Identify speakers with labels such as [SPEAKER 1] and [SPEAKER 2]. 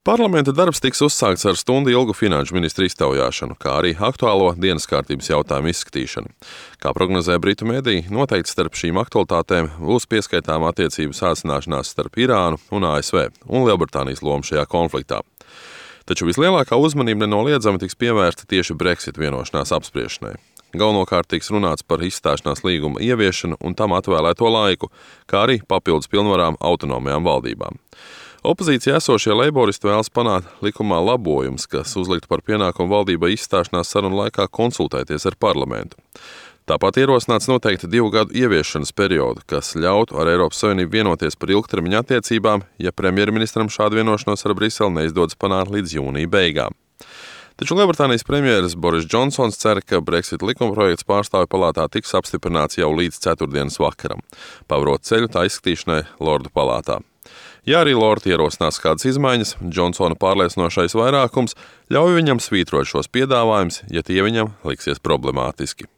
[SPEAKER 1] Parlamenta darbs tiks uzsākts ar stundu ilgu finanšu ministra iztaujāšanu, kā arī aktuālo dienas kārtības jautājumu izskatīšanu. Kā prognozē Britu mediji, noteikti starp šīm aktualitātēm būs pieskaitāma attiecību sāsināšanās starp Irānu un ASV un Lielbritānijas lomu šajā konfliktā. Taču vislielākā uzmanība nenoliedzami tiks pievērsta tieši Brexit vienošanās apspriešanai. Galvenokārt tiks runāts par izstāšanās līguma ieviešanu un tam atvēlēto laiku, kā arī papildus pilnvarām autonomajām valdībām. Opozīcijā esošie leiboristi vēlas panākt likumā labojumus, kas uzliktu par pienākumu valdībai izstāšanās sarunu laikā konsultēties ar parlamentu. Tāpat ierosināts noteikti 2 gadu ieviešanas periodu, kas ļautu ar Eiropas Savienību vienoties par ilgtermiņa attiecībām, ja premjerministram šādu vienošanos ar Briseli neizdodas panākt līdz jūnija beigām. Taču Lielbritānijas premjeras Boris Džonsons cer, ka Brexit likumprojekts pārstāvju palātā tiks apstiprināts jau līdz ceturtdienas vakaram, pavarot ceļu tā izskatīšanai Lordu palātā. Ja arī Lordi ierosinās kādas izmaiņas, Džonsona pārliecinošais vairākums ļauj viņam svītrot šos piedāvājumus, ja tie viņam liksies problemātiski.